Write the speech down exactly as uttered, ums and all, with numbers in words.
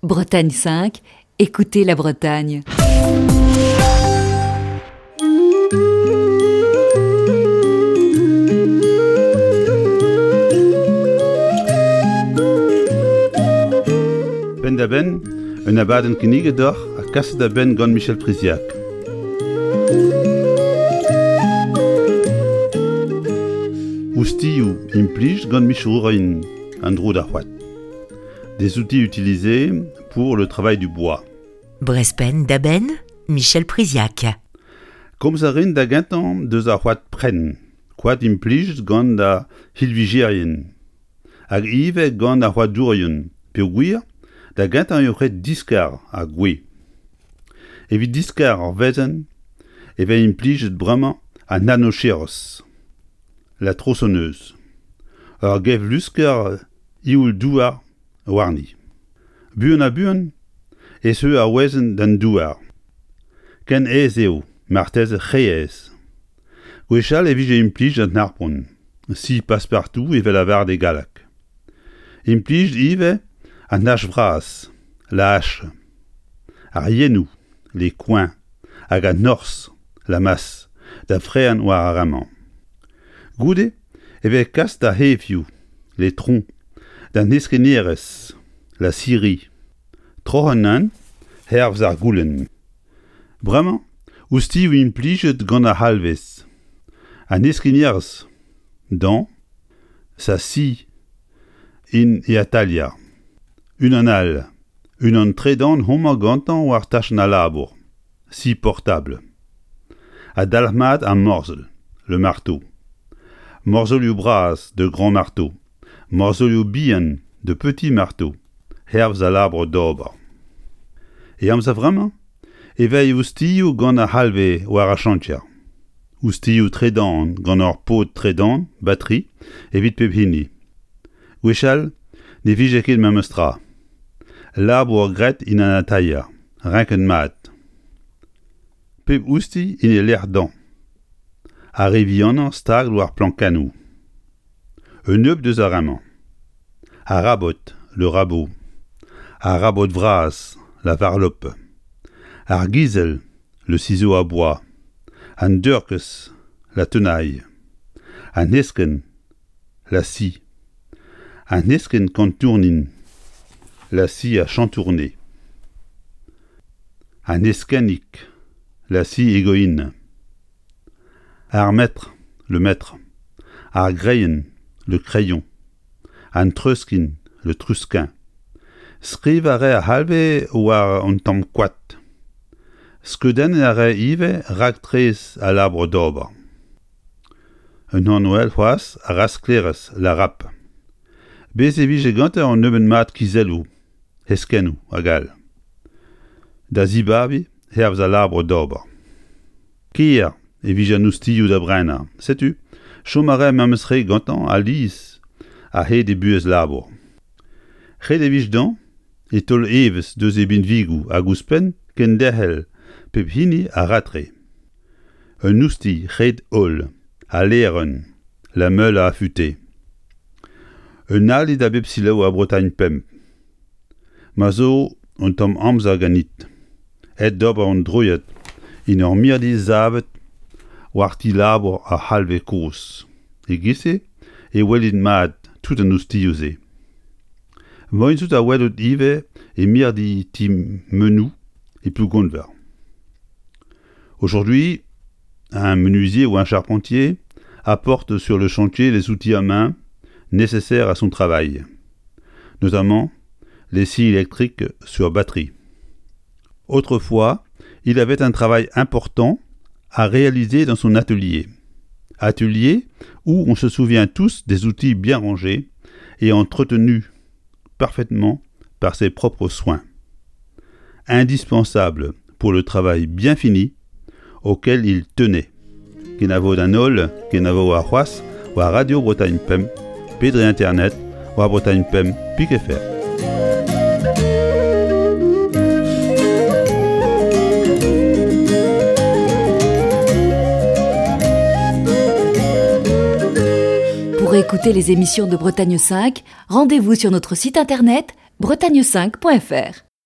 Bretagne cinq, écoutez la Bretagne. Penn-da-benn, un abadenn kinniget deoc'h ha kaset da benn gant Michel Priziac. Oustilhoù implij gant micherourien an dro d'ar c'hoad. Des outils utilisés pour le travail du bois. Brezh Penn-da-Benn, Michel Priziac. Komz a rin da gentañ deus ar c'hoad prenn, koad implij gant ar c'hilvijerien. Hag ivez gant ar c'hoadourien, peogwir da gentañ eo ret diskar ar gwez. Evit diskar ar wezenn e vez implijet bremañ an rhinoceros, la tronçonneuse. Ur gevlusker ioul-douar warni. Buan ha buan e seu ar wezenn d'an douar. Ken aes eo, marteze re aes. Gwechall e vije implij an harpon, scie passe-partout evel lavaret e galleg. Implij ivez an hach vras, la hache, ar yennoù, les coins, hag an horzh, la masse, da frean war ar ramañ. Goude e vez kas d'ar c'hefioù, les troncs, d'an heskennerezh, la scierie, troc'h an hervez ar goulenn. Bremañ, oustilhoù implijet gant ar c'halvez. An heskennerezh, dent, sa scie in e atalier. Unan all, unan tredan homañ gantañ war tachenn al labour, scie portable. Ha dalc'hmat ar morzhol, le marteau. Morzholioù bras de grand marteau, morzholioù bihan de petit marteau, hervez al labour d'ober. E amzer vremañ e vez oustilhoù gant ar c'halvez war ar chantier. Oustilhoù tredan gant ur pod tredan, batterie, evit pep hini. Gwechall ne vije ket memes tra. Labour graet en an atalier, renket mat. Pep oustilh en e lec'h dezhañ. Ar re vihanañ stag war plankennoù. Un nebeud deus ar re-mañ. Ar rabot, le rabot. Ar rabot vras, la varlope. Ar gizell, le ciseau à bois. An deurkez, la tenaille. An heskenn, la scie. An heskenn kantournin, la scie à chantourner. An heskennig, la scie égoïne. Ar metr, le mètre. Ar greien, le crayon. An treuskin, le trusquin. Skriv a rae ar c'halvez war un tamm koad. Skeudenniñ a rae ivez raktres al labour d'ober. Un anv all c'hoazh ar rasklerez, la râpe. Bez e vije gantañ un nebeud mat kizelloù, heskennoù hag all. Da zibabiñ hervez al labour d'ober. Ker e vije an oustilhoù da brenañ. Setu, chom a rae memes re gantañ alies a-hed e buhez labour. Ret e vije dezhañ e taol evezh deus e binvigoù hag ouzhpenn kenderc'hel pep hini a-ratre. Un oustilh ret-holl, al lêrenn, la meule à affûter. Un ali da bep selaou a Bretagne pemp. Ma zo un tamm amzer ganit. Aet d'ober an droiad en ur mirdi savet war ti labour ar c'halvez kozh. E-giz-se e welit mat tout an oustilhoù-se. Moaien zo da welout ivez e mirdi ti Menou e Plougonver. Aujourd'hui, un menuisier ou un charpentier apporte sur le chantier les outils à main nécessaires à son travail, notamment les scies électriques sur batterie. Autrefois, il avait un travail important à réaliser dans son atelier. Atelier où on se souvient tous des outils bien rangés et entretenus parfaitement par ses propres soins. Indispensable pour le travail bien fini auquel il tenait. Kenavo d'an holl, kenavo ar c'hoazh, war Radio Bretagne Pemp, pe dre internet, war Bretagne Pemp pik F R. Pour écouter les émissions de Bretagne cinq, rendez-vous sur notre site internet bretagne cinq point F R.